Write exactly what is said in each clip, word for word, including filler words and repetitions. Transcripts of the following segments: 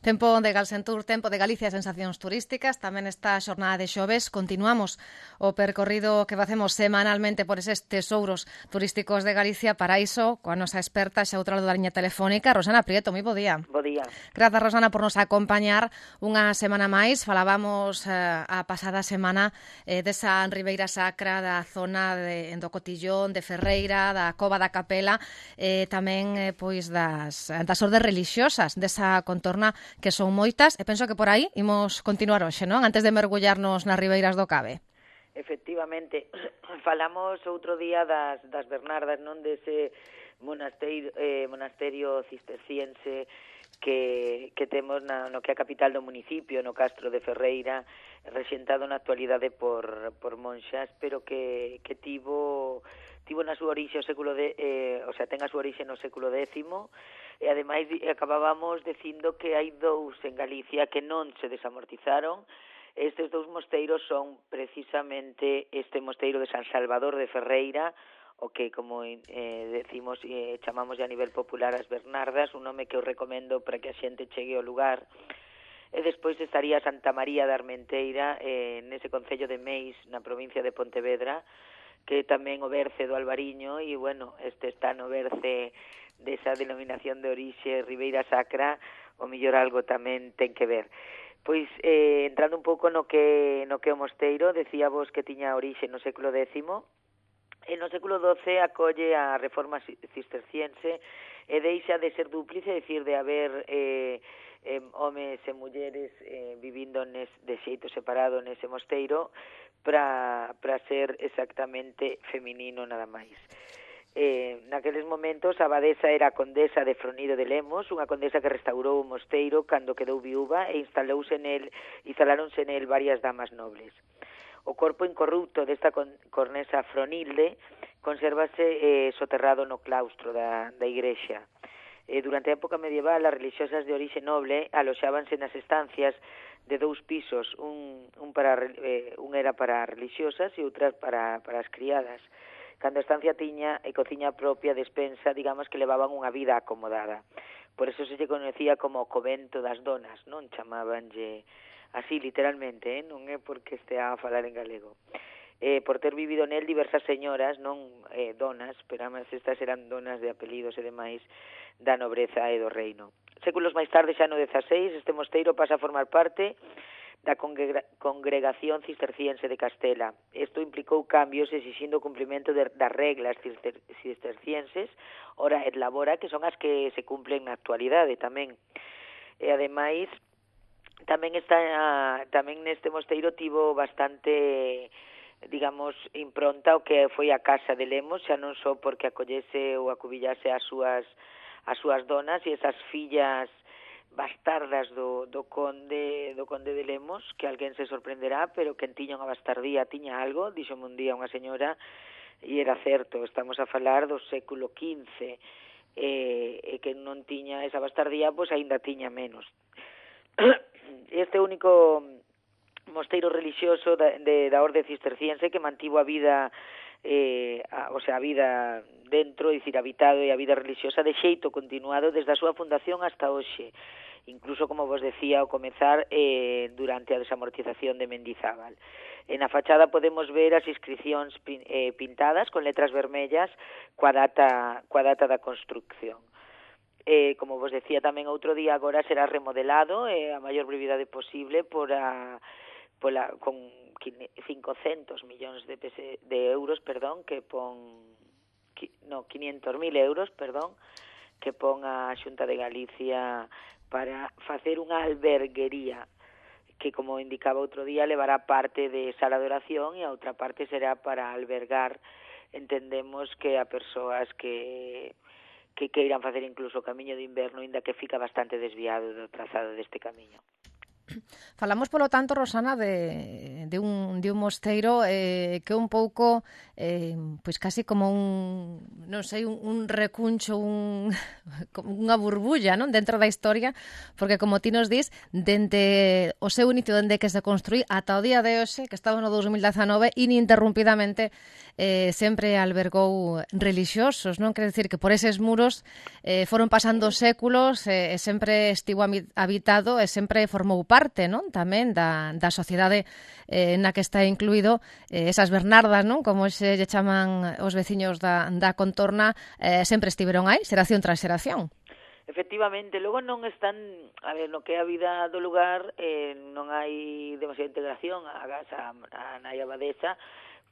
Tempo de Galsentur, tempo de Galicia e sensacións turísticas. Tamén esta xornada de xoves continuamos o percorrido que facemos semanalmente por eses tesouros turísticos de Galicia. Para iso, coa nosa experta xa outra lado da liña telefónica, Rosana Prieto. Moi bo día. Bo día. Grazas, Rosana, por nos acompañar unha semana máis. Falábamos eh, a pasada semana eh, desa Ribeira Sacra, da zona de, do Cotillón, de Ferreira, da Cova da Capela, eh, tamén eh, pois das, das ordes religiosas desa contorna, que son moitas, e penso que por aí imos continuar hoxe, non? Antes de mergullarnos nas ribeiras do Cabe. Efectivamente, falamos outro día das, das Bernardas, non? Dese monasterio, eh, monasterio cisterciense que, que temos na, no que é a capital do municipio, no Castro de Ferreira, rexentado na actualidade por, por monxas, pero que, que tivo... tivo na súa orixe o século de, eh, o sea, ten a súa orixe no século décimo, e ademais acabábamos dicindo que hai dous en Galicia que non se desamortizaron. Estes dous mosteiros son precisamente este mosteiro de San Salvador de Ferreira, o que, como eh, decimos, eh, chamamos a nivel popular as Bernardas, un nome que eu recomendo para que a xente chegue ao lugar. E despois estaría Santa María da Armenteira, eh, nese concello de Meis, na provincia de Pontevedra, que tamén o berce do Albariño, e, bueno, este está no berce desa denominación de orixe Ribeira Sacra, o mellor algo tamén ten que ver. Pois, eh, entrando un pouco no que no que o mosteiro, decía vos que tiña orixe no século décimo, e no século doce acolle a reforma cisterciense e deixa de ser dúplice, é dicir, de haber eh, eh, homes e mulleres eh, vivindo nes, de xeito separado nese mosteiro, para para ser exactamente feminino nada máis. Eh, naqueles momentos a abadesa era a condesa de Fronido de Lemos, unha condesa que restaurou o mosteiro cando quedou viúva e instalouse nel, instalaronse nel varias damas nobles. O corpo incorrupto desta cornesa Fronilde consérvase eh, soterrado no claustro da, da igrexa. Eh, durante a época medieval, as religiosas de orixe noble aloxábanse nas estancias de dous pisos, un, un, para, eh, un era para religiosas e outra para, para as criadas. Cando a estancia tiña e cociña propia despensa, digamos que levaban unha vida acomodada. Por eso se lle conocía como o convento das donas, non? Chamabanlle así literalmente, eh? Non é porque estea a falar en galego. Eh, por ter vivido nel diversas señoras, non eh, donas, pero además estas eran donas de apelidos e demais da nobreza e do reino. Séculos máis tarde, xa no dezaseis, este mosteiro pasa a formar parte da Congregación Cisterciense de Castela. Isto implicou cambios exixindo o cumprimento de, das reglas cister, cistercienses, ora et labora, que son as que se cumplen na actualidade tamén. E ademais, tamén está tamén neste mosteiro tivo bastante, digamos, impronta o que foi a casa de Lemos, xa non só porque acollese ou acubillase as súas as súas donas e esas fillas bastardas do, do conde do conde de Lemos, que alguén se sorprenderá, pero que tiña unha bastardía, tiña algo, dixome un día unha señora, e era certo, estamos a falar do século quince, e, e que non tiña esa bastardía, pois aínda tiña menos. Este único mosteiro religioso da, de, da orde cisterciense que mantivo a vida eh, a, o sea, a vida dentro, é dicir, habitado e a vida religiosa de xeito continuado desde a súa fundación hasta hoxe, incluso, como vos decía, ao comezar eh, durante a desamortización de Mendizábal. En a fachada podemos ver as inscripcións pin, eh, pintadas con letras vermellas coa data, coa data da construcción. Eh, como vos decía tamén outro día, agora será remodelado eh, a maior brevidade posible por a, por a, con cincocentos millóns de, pese, de euros, perdón, que pon no, quinientos mil euros, perdón, que pon a Xunta de Galicia para facer unha alberguería que, como indicaba outro día, levará parte de sala de oración e a outra parte será para albergar, entendemos, que a persoas que que queiran facer incluso o camiño de inverno, inda que fica bastante desviado do trazado deste camiño. Falamos, polo tanto, Rosana, de, de, un, de un mosteiro eh, que é un pouco, eh, pois casi como un, non sei, un, un recuncho, un, unha burbulla, non, dentro da historia, porque, como ti nos dis, dende o seu inicio, dende que se construí ata o día de hoxe, que estaba no dos mil dezanove, ininterrumpidamente eh, sempre albergou relixiosos, non? Quer decir que por eses muros eh, foron pasando séculos eh, e sempre estivo habitado e sempre formou parte, non? Tamén da, da sociedade eh, na que está incluído eh, esas Bernardas, non? Como se lle chaman os veciños da, da contorna, eh, sempre estiveron aí, xeración tras xeración. Efectivamente, logo non están, a ver, no que é a vida do lugar, eh, non hai demasiada integración, a casa, a nai abadesa,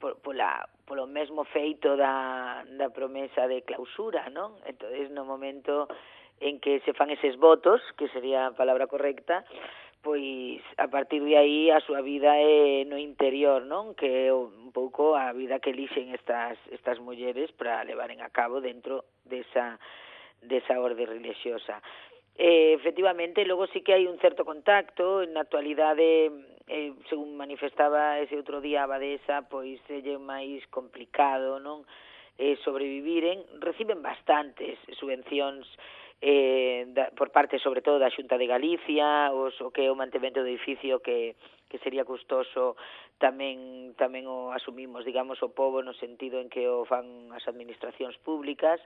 por, pola, polo mesmo feito da, da promesa de clausura, non? Entonces, no momento en que se fan eses votos, que sería a palabra correcta, pois a partir de aí a súa vida é no interior, non? Que é un pouco a vida que elixen estas estas mulleres para levaren a cabo dentro desa desa orde religiosa. Eh, efectivamente, logo sí que hai un certo contacto, na actualidade, eh, según manifestaba ese outro día a abadesa, pois é máis complicado, non? Eh, sobreviviren, reciben bastantes subvencións eh, da, por parte, sobre todo, da Xunta de Galicia, os, o que é o mantemento do edificio que, que sería custoso, tamén tamén o asumimos, digamos, o pobo no sentido en que o fan as administracións públicas,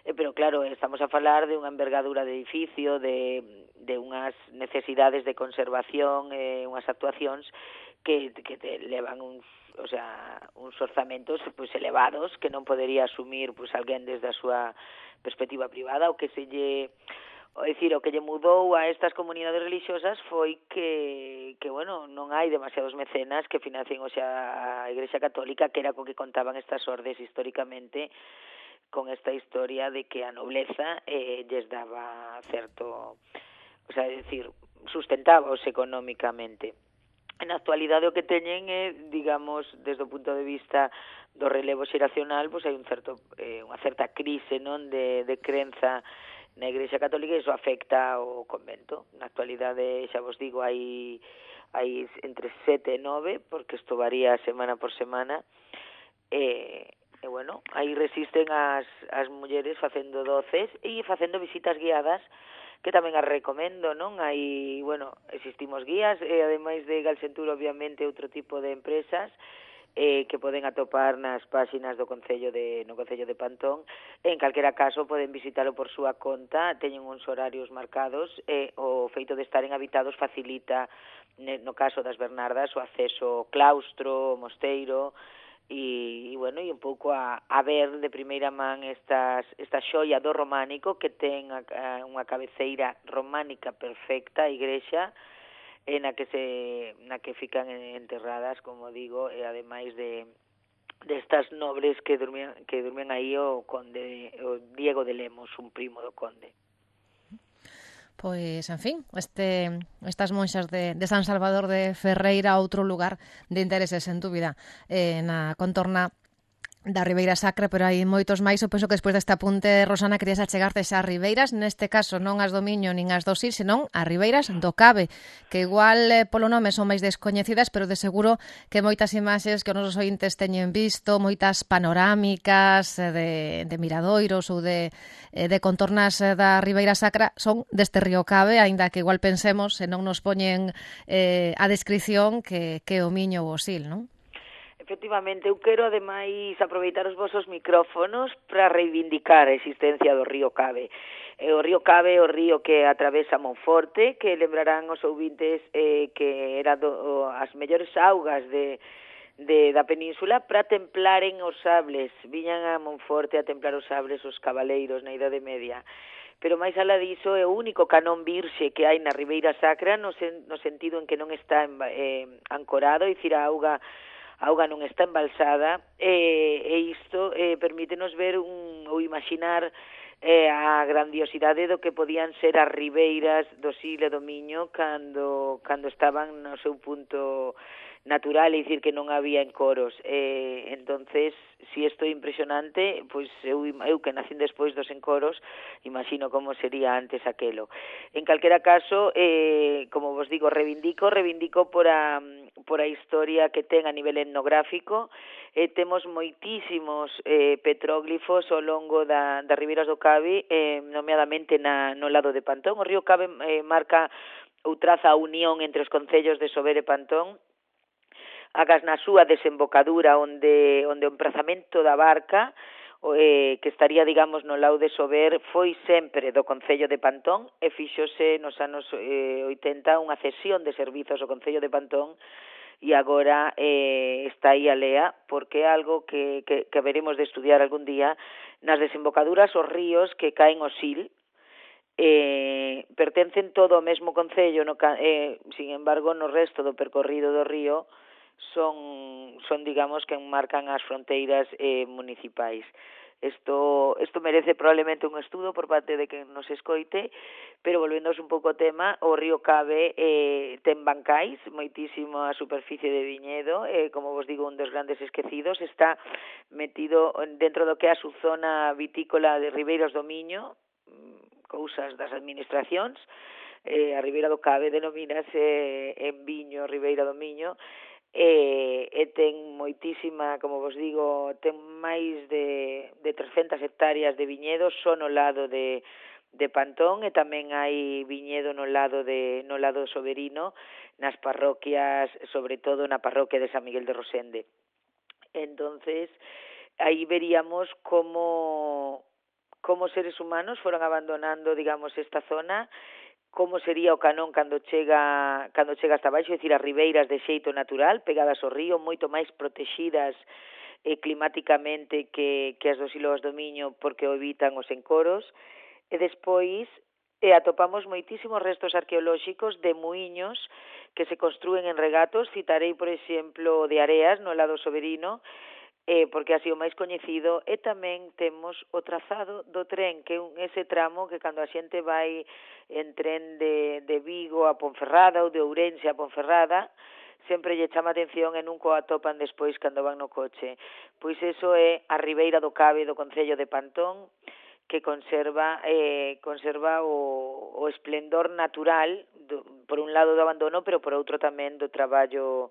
eh, pero claro, estamos a falar de unha envergadura de edificio, de, de unhas necesidades de conservación, eh, unhas actuacións que, que te levan uns, o sea, uns orzamentos pois elevados que non podería asumir pois alguén desde a súa perspectiva privada. O que se lle, o decir, o que lle mudou a estas comunidades religiosas foi que, que bueno, non hai demasiados mecenas que financien hoxe a Igrexa Católica, que era co que contaban estas ordes históricamente, con esta historia de que a nobleza eh, lles daba certo, o sea, é dicir, sustentábaos económicamente. Na actualidade o que teñen é, digamos, desde o punto de vista do relevo xeracional, pois hai un certo, eh, unha certa crise, non, de, de crenza na Igrexa Católica, e iso afecta ao convento. Na actualidade, xa vos digo, hai, hai entre sete e nove, porque isto varía semana por semana, e, e bueno, aí resisten as, as mulleres facendo doces e facendo visitas guiadas, que tamén as recomendo, non? Hai, bueno, existimos guías, e ademais de Galsentur, obviamente, outro tipo de empresas eh, que poden atopar nas páxinas do Concello de, no Concello de Pantón. En calquera caso, poden visitalo por súa conta, teñen uns horarios marcados, e o feito de estaren habitados facilita, no caso das Bernardas, o acceso ao claustro, ao mosteiro, e, e bueno, e un pouco a, a ver de primeira man estas, esta xoia do románico, que ten a, a, unha cabeceira románica perfecta, a igrexa, en a que se na que fican enterradas, como digo, e ademais de de estas nobres que durmían que durmían aí o conde, o Diego de Lemos, un primo do conde. Pois, en fin, este, estas monxas de, de San Salvador de Ferreira, outro lugar de intereses, en dúbida, eh, na contorna da Ribeira Sacra, pero hai moitos máis. Eu penso que despois deste apunte, Rosana, querías achegarte xa as ribeiras, neste caso non as do Miño nin as do Sil, senón as ribeiras do Cabe, que igual eh, polo nome son máis descoñecidas, pero de seguro que moitas imaxes que os nosos ointes teñen visto, moitas panorámicas de, de miradoiros ou de, de contornas da Ribeira Sacra son deste río Cabe, aínda que igual pensemos, se non nos poñen eh, a descripción que, que o Miño ou o Sil, non? Efectivamente, eu quero ademais aproveitar os vosos micrófonos para reivindicar a existencia do río Cabe. E o río Cabe é o río que atravesa Monforte, que lembrarán os ouvintes eh, que era do, o, as mellores augas de, de, da península para templaren os sables. Viñan a Monforte a templar os sables os cabaleiros na Idade Media. Pero máis alá diso é o único canón virxe que hai na Ribeira Sacra, no, sen, no sentido en que non está eh, ancorado, e dicir, a auga a auga non está embalsada, e, e isto eh, permítenos ver un, ou imaginar eh, a grandiosidade do que podían ser as ribeiras do Sil e do Miño cando, cando estaban no seu punto natural, é dicir que non había encoros. Eh, entonces, si isto é impresionante, pois eu, eu que nacín despois dos encoros, imagino como sería antes aquelo. En calquera caso, eh, como vos digo, reivindico, reivindico por a, por a historia que ten a nivel etnográfico. Eh, temos moitísimos eh, petróglifos ao longo da, das ribeiras do Cabe, eh, nomeadamente na, no lado de Pantón. O río Cabe eh, marca ou traza a unión entre os concellos de Sober e Pantón, agas na súa desembocadura onde onde o emprazamento da barca eh, que estaría, digamos, no lado de Sober foi sempre do Concello de Pantón e fíxose nos anos eh, oitenta unha cesión de servizos ao Concello de Pantón e agora eh, está aí a lea porque é algo que, que, que veremos de estudiar algún día nas desembocaduras os ríos que caen ao Sil. Eh, pertencen todo ao mesmo concello, no, eh, sin embargo, no resto do percorrido do río son, son digamos, que marcan as fronteiras eh, municipais. Isto, isto merece probablemente un estudo por parte de quen nos escoite, pero volvéndose un pouco ao tema, o río Cabe eh, ten bancais, moitísimo a superficie de viñedo, eh, como vos digo, un dos grandes esquecidos, está metido dentro do que é a su zona vitícola de Ribeiros do Miño, cousas das administracións. Eh, a Ribeira do Cabe denomínase en Viño, Ribeira do Miño, e, e ten moitísima, como vos digo, ten máis de, de trescentas hectáreas de viñedo só no lado de, de Pantón, e tamén hai viñedo no lado de no lado soberino, nas parroquias, sobre todo na parroquia de San Miguel de Rosende. Entonces, aí veríamos como como seres humanos foron abandonando, digamos, esta zona, como sería o Canón cando chega cando chega hasta baixo, é dicir, as ribeiras de xeito natural, pegadas ao río, moito máis protegidas eh, climáticamente que, que as dos Ilóas do Miño, porque o evitan os encoros, e despois eh, atopamos moitísimos restos arqueolóxicos de muiños que se construen en regatos. Citarei, por exemplo, de Areas, no lado soberino, eh, porque ha sido máis coñecido, e tamén temos o trazado do tren, que é un, ese tramo que cando a xente vai en tren de, de Vigo a Ponferrada ou de Ourense a Ponferrada, sempre lle chama atención e nunca o atopan despois cando van no coche. Pois eso é a Ribeira do Cabe do Concello de Pantón, que conserva eh, conserva o, o esplendor natural, do, por un lado do abandono, pero por outro tamén do traballo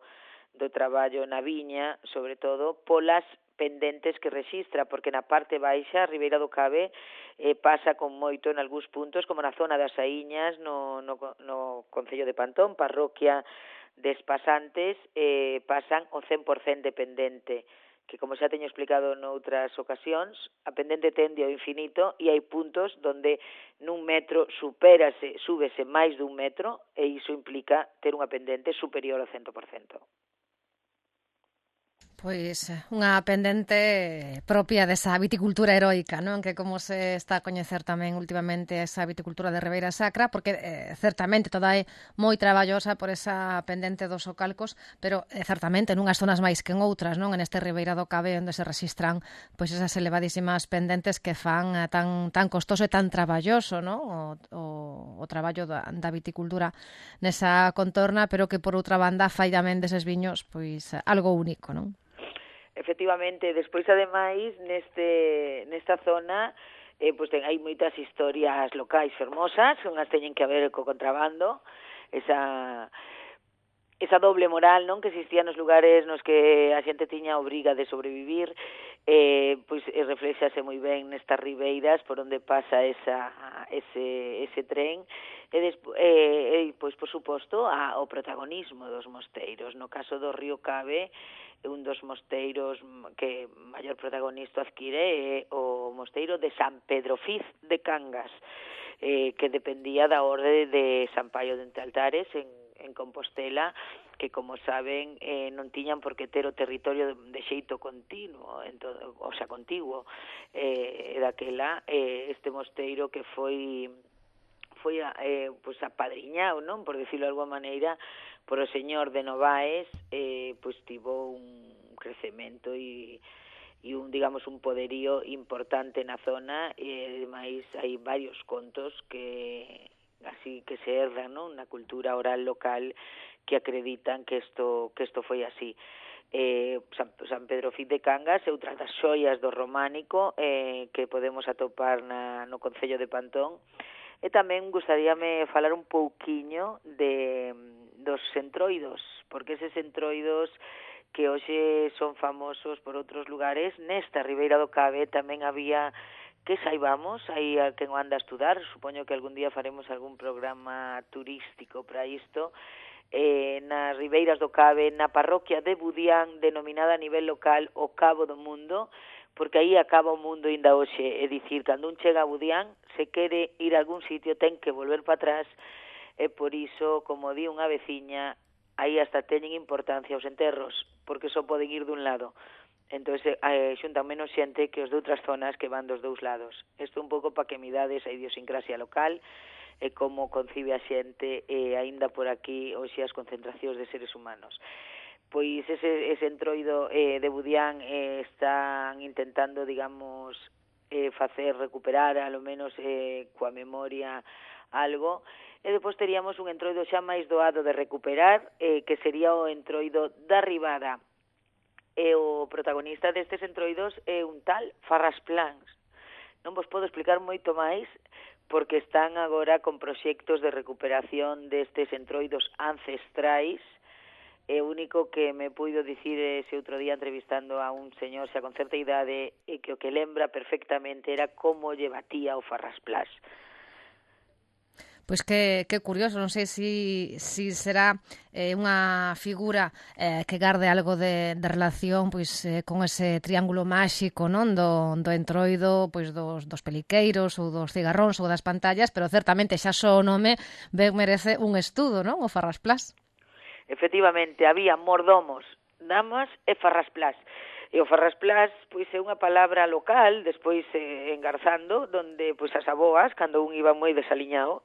do traballo na viña, sobre todo polas pendentes que rexistra, porque na parte baixa, a Ribeira do Cabe, eh, pasa con moito en algúns puntos, como na zona das Saíñas, no, no, no Concello de Pantón, parroquia de Espasantes, eh, pasan o cen por cento de pendente, que, como xa teño explicado noutras ocasións, a pendente tende ao infinito e hai puntos donde nun metro supérase, súbese máis dun metro, e iso implica ter unha pendente superior ao cento por cento. Pois unha pendente propia desa viticultura heroica, non? Que como se está a coñecer tamén últimamente esa viticultura de Ribeira Sacra, porque eh, certamente toda é moi traballosa por esa pendente dos Socalcos, pero eh, certamente nunhas zonas máis que en outras, non? En este Ribeira do Cabe onde se registran pois esas elevadísimas pendentes que fan eh, tan tan costoso e tan traballoso, non? O, o, o traballo da, da viticultura nesa contorna, pero que por outra banda fai tamén deses viños pois algo único, non? Efectivamente, despois ademais neste nesta zona eh, pues, ten, hai moitas historias locais fermosas, unhas teñen que ver co contrabando, esa esa doble moral, non, que existía nos lugares nos que a xente tiña obriga de sobrevivir, eh, pois eh, reflexase moi ben nestas ribeiras por onde pasa esa ese ese tren, e despois eh, eh, pois por suposto a, o protagonismo dos mosteiros. No caso do río Cabe, un dos mosteiros que maior protagonista adquire é o mosteiro de San Pedro Fiz de Cangas, eh, que dependía da orde de San Paio de Altares en, en Compostela, que, como saben, eh, non tiñan por que ter o territorio de, de xeito continuo, en todo, o sea, contiguo, eh, daquela, eh, este mosteiro que foi foi eh, pues, apadriñado, non, por decirlo de alguma maneira, por o señor de Novaes, eh, pues tivo un crecemento e, e un, digamos, un poderío importante na zona, e ademais hai varios contos que así que se herdan, non, na cultura oral local que acreditan que isto que isto foi así. Eh, San, San Pedro Cid de Cangas é outra das xoias do románico eh, que podemos atopar na, no concello de Pantón. E tamén gustaríame falar un pouquiño de, dos centroidos, porque eses centroidos que hoxe son famosos por outros lugares, nesta Ribeira do Cave tamén había, que saibamos, aí a quen o anda a estudar, supoño que algún día faremos algún programa turístico para isto, eh, nas Ribeiras do Cave, na parroquia de Budián, denominada a nivel local o Cabo do Mundo, porque aí acaba o mundo ainda hoxe, é dicir, cando un chega a Budián, se quere ir a algún sitio ten que volver para atrás, e por iso, como di unha veciña, aí hasta teñen importancia os enterros, porque só poden ir dun lado. Entón, eh, xuntan menos xente que os de outras zonas que van dos dous lados. Isto un pouco para que midades a idiosincrasia local e como concibe a xente e eh, aínda por aquí hoxe as concentracións de seres humanos. Pois ese, ese entroido eh, de Budián eh, están intentando, digamos, eh, facer recuperar, a lo menos eh, coa memoria, algo. E depois teríamos un entroido xa máis doado de recuperar, eh, que sería o entroido da Ribada. E o protagonista destes entroidos é un tal Farras Plans. Non vos podo explicar moito máis, porque están agora con proxectos de recuperación destes entroidos ancestrais. E o único que me puido dicir ese outro día entrevistando a un señor xa con certa idade e que o que lembra perfectamente era como lle batía o Farras Plans. Pois que, que curioso, non sei si, si será eh, unha figura eh, que garde algo de, de relación pois eh, con ese triángulo máxico, non, do, do entroido pois dos, dos peliqueiros ou dos cigarróns ou das pantallas, pero certamente xa só o nome ben merece un estudo, non, o Farras Plans. Efectivamente, había mordomos, damas e Farras Plans. E o Farras Plans, pois, é unha palabra local, despois eh, engarzando, donde, pois, as aboas, cando un iba moi desaliñado,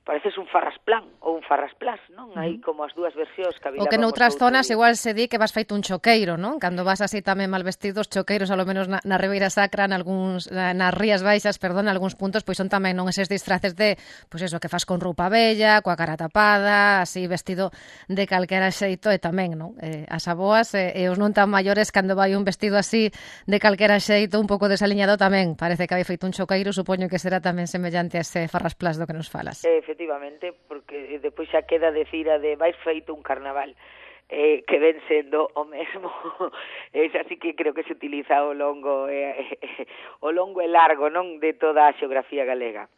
pareces un Farrasplan ou un Farrasplas, non? Hai como as dúas versións que habilábamos. O que noutras zonas igual se di que vas feito un choqueiro, non? Cando vas así tamén mal vestidos, choqueiros, ao menos na, na Ribeira Sacra, nalgúns, nas Rías Baixas, perdón, algúns puntos, pois son tamén non eses disfraces de, pois eso, que fas con roupa bella, coa cara tapada, así vestido de calquera xeito, e tamén, non? Eh, as aboas e, e os non tan maiores, cando vai un vestido así de calquera xeito, un pouco desaliñado tamén, parece que hai feito un choqueiro, supoño que será tamén semellante a ese Farrasplas do que nos falas. Eh, efectivamente, porque depois xa queda decir a de vais feito un carnaval, eh, que ven sendo o mesmo. Es así que creo que se utiliza ao longo eh, eh, o longo e largo, non, de toda a xeografía galega.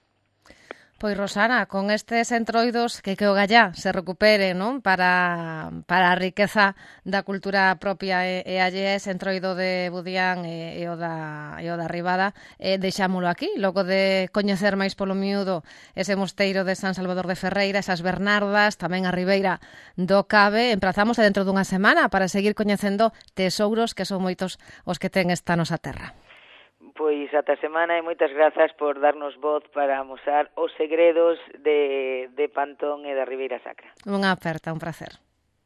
Pois, Rosana, con estes entroidos que que o gallá se recupere, non, para, para a riqueza da cultura propia e, e allea, ese entroido de Budián e, e, o da, e o da Ribada, eh, deixámolo aquí, logo de coñecer máis polo miúdo ese mosteiro de San Salvador de Ferreira, esas Bernardas, tamén a Ribeira do Cave. Emprazamos dentro dunha semana para seguir coñecendo tesouros que son moitos os que ten esta nosa terra. Pois ata semana e moitas grazas por darnos voz para amosar os segredos de, de Pantón e da Ribeira Sacra. Unha aperta, un prazer.